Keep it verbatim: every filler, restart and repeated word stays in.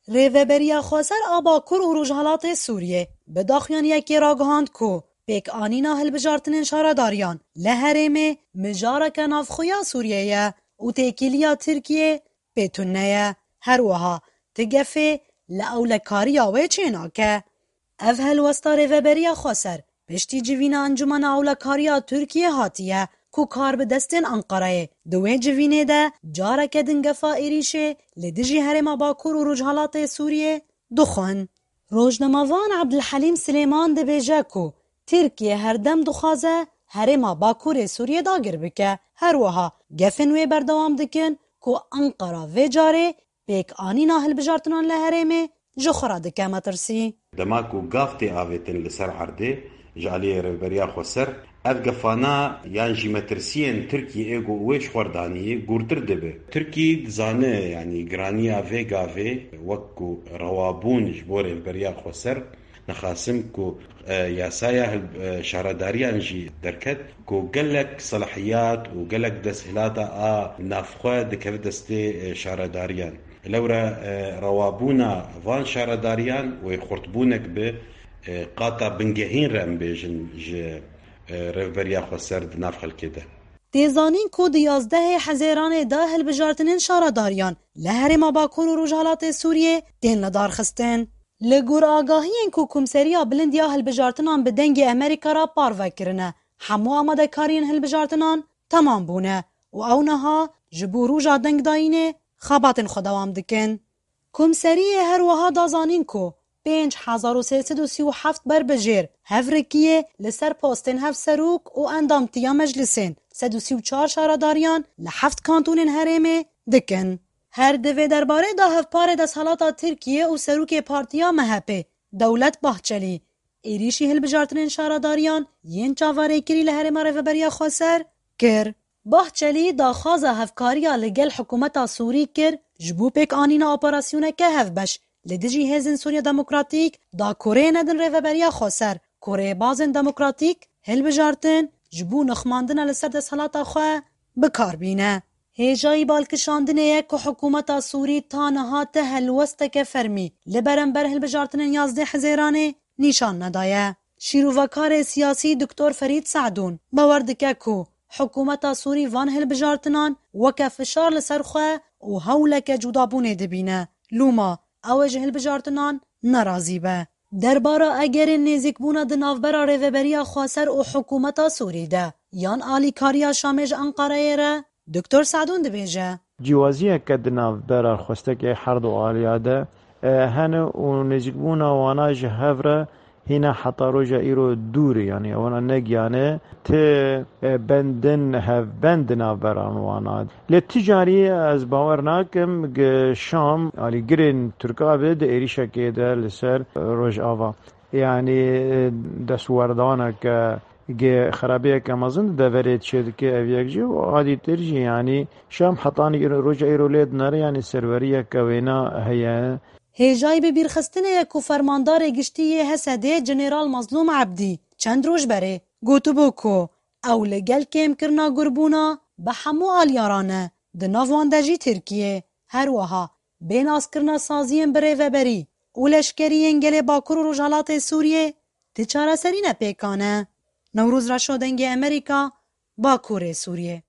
Rêveberiya Xweser a Bakur û Rojhelatê Sûriyê bi daxuyaniyekê ragihand ku pêkanîna hilbijartinên şaredariyan li herêmê mijareke navxwe ya Sûriyê ye û têkiliya Tirkiyê pê tune ye. Her wiha ti gefê li ewlekariya wê çênake. Ev helwesta Rêveberiya Xweser piştî civîna Encûmena Ewlekariya Tirkiyê hatiye ku kar bi destên Enqereyê. Di wê civînê de careke din gefa êrîşê li dijî herêma Bakur û Rojhelatê Sûriyê dixwin. Rojnamevan Ebdulhelîm Silêman dibêje ku Tirkiye herdem dixwaze herêma Bakurê Sûriyê dagir bike. Her wiha gefên wê berdewam dikin ku Enqera vê carê pêkanîna hilbijartinan li herêmê ji xwe re dike metirsî. Dema ku gav tê avêtin li ser erdê, ji aliyê Rêveberiya Xweser, ev gefana yan jî metirsiyên Tirkiyê ê ku wê ji xwe re danî gûrtir dibe. Tirkî dizane, yanî giraniya vê gavê wek ku rewabûn ji bo Rêveberiya Xweser, nexasim ku, e, yasaya hil-, e, şaredariyan jî derket ku gelek selahiyat û gelek desthilata a navxwe dikeve destê, e, şaredariyan. Lewra, e, rewabûna van şaredariyan wê xurtbûnek bi, e, qata bingehîn re em bêjin ji, e, Rêveberiya Xweser di nav xelkê de. Tê zanîn ku di yazdehê Hezêranê de hilbijartinên şaredariyan li herêma Bakur û Rojhelatê Sûriyê tên lidarxistin. Li gor agahiyên ku Komseriya Bilind ya Hilbijartinan bi Dengê Amerîka re parve kirine, hemû amadekariyên hilbijartinan temam bûne û ew niha ji bo roja dengdayînê xebatên xwe dewam dikin. Komseriyê her wiha da zanîn ku pênc hezar û sê sed û sî û heft berbijêr, hevrikiyê li ser postên hevserok û endamtiya meclisên, sed û sî û çar şaredariyan li heft kantonên herêmê dikin. Her di vê derbarê de hevparê desthelata Tirkiyê û serokê partiya M H P, Dewlet Bahçelî, êrîşî hilbijartinên şaredariyan yên çaverêkirî li herêma Rêveberiya Xweser kir. Bahçelî daxwaza hevkariya li gel hikûmeta Sûrî kir ji bo pêkanîna operasyoneke hevbeş li dijî Hêzên Sûriya Demokratîk da ku rê nedin Rêveberiya Xweser ku rêbazên demokratîk hilbijartin ji bo nixmandina li ser desthilata xwe bi kar bîne. Hêjayî balkişandinê ye ku hikûmeta Sûrî ta niha ti helwesteke fermî li berember hilbijartinên yazdeh Hezêranê nîşan nedaye. Şîrovekarê siyasî Doktor Ferîd Se'dûn bawer dike ku hikûmeta Sûrî van hilbijartinan weke fişar li ser xwe û hewleke cudabûnê dibîne. Lûma ew ê ji hilbijartinan nerazî be. Derbara egerên nêzîkbûna di navbera Rêveberiya Xweser û hikûmeta Sûrî de yan alîkariya Şamê ji Enqereyê re, Doktor Se'dûn dibêje. Cîwaziyeke di navbera xwestekê her du aliya de, e, hene û nêzîkbûna wana ji hev re hîna heta roja îro dûr e, yanî ewana negiyane ti, e, bendin hevbend di navbera wana. Lê ti carî ez bawer nakim gi Şam alîgirên Tirka be di êrîşekê de li ser Rojava. Yanî, e, destwerdaneke gi xerabiyeke mezin di deverê çêdike ev yek jî û adîtir jî, yanî Şam hetanî îro-, roja îro lê dinere, yanî serweriyeke wêna heye. Hêjayî bi bîrxistinê ye ku fermandarê giştî yê Hesedê Jeneral Mazlûm Ebdî çend roj berê gotibû ku ew li gel kêmkirina gurbûna bi hemû aliya re ne, di nav wan de jî Tirkiyê. Her wiha bê naskirina saziyên birêveberî û leşkerî yên gelê Bakur û Rojhelatê Sûriyê ti çareserî ne pêkan e. Newroz Reşo, Dengê Amerîka, Bakurê Sûriyê.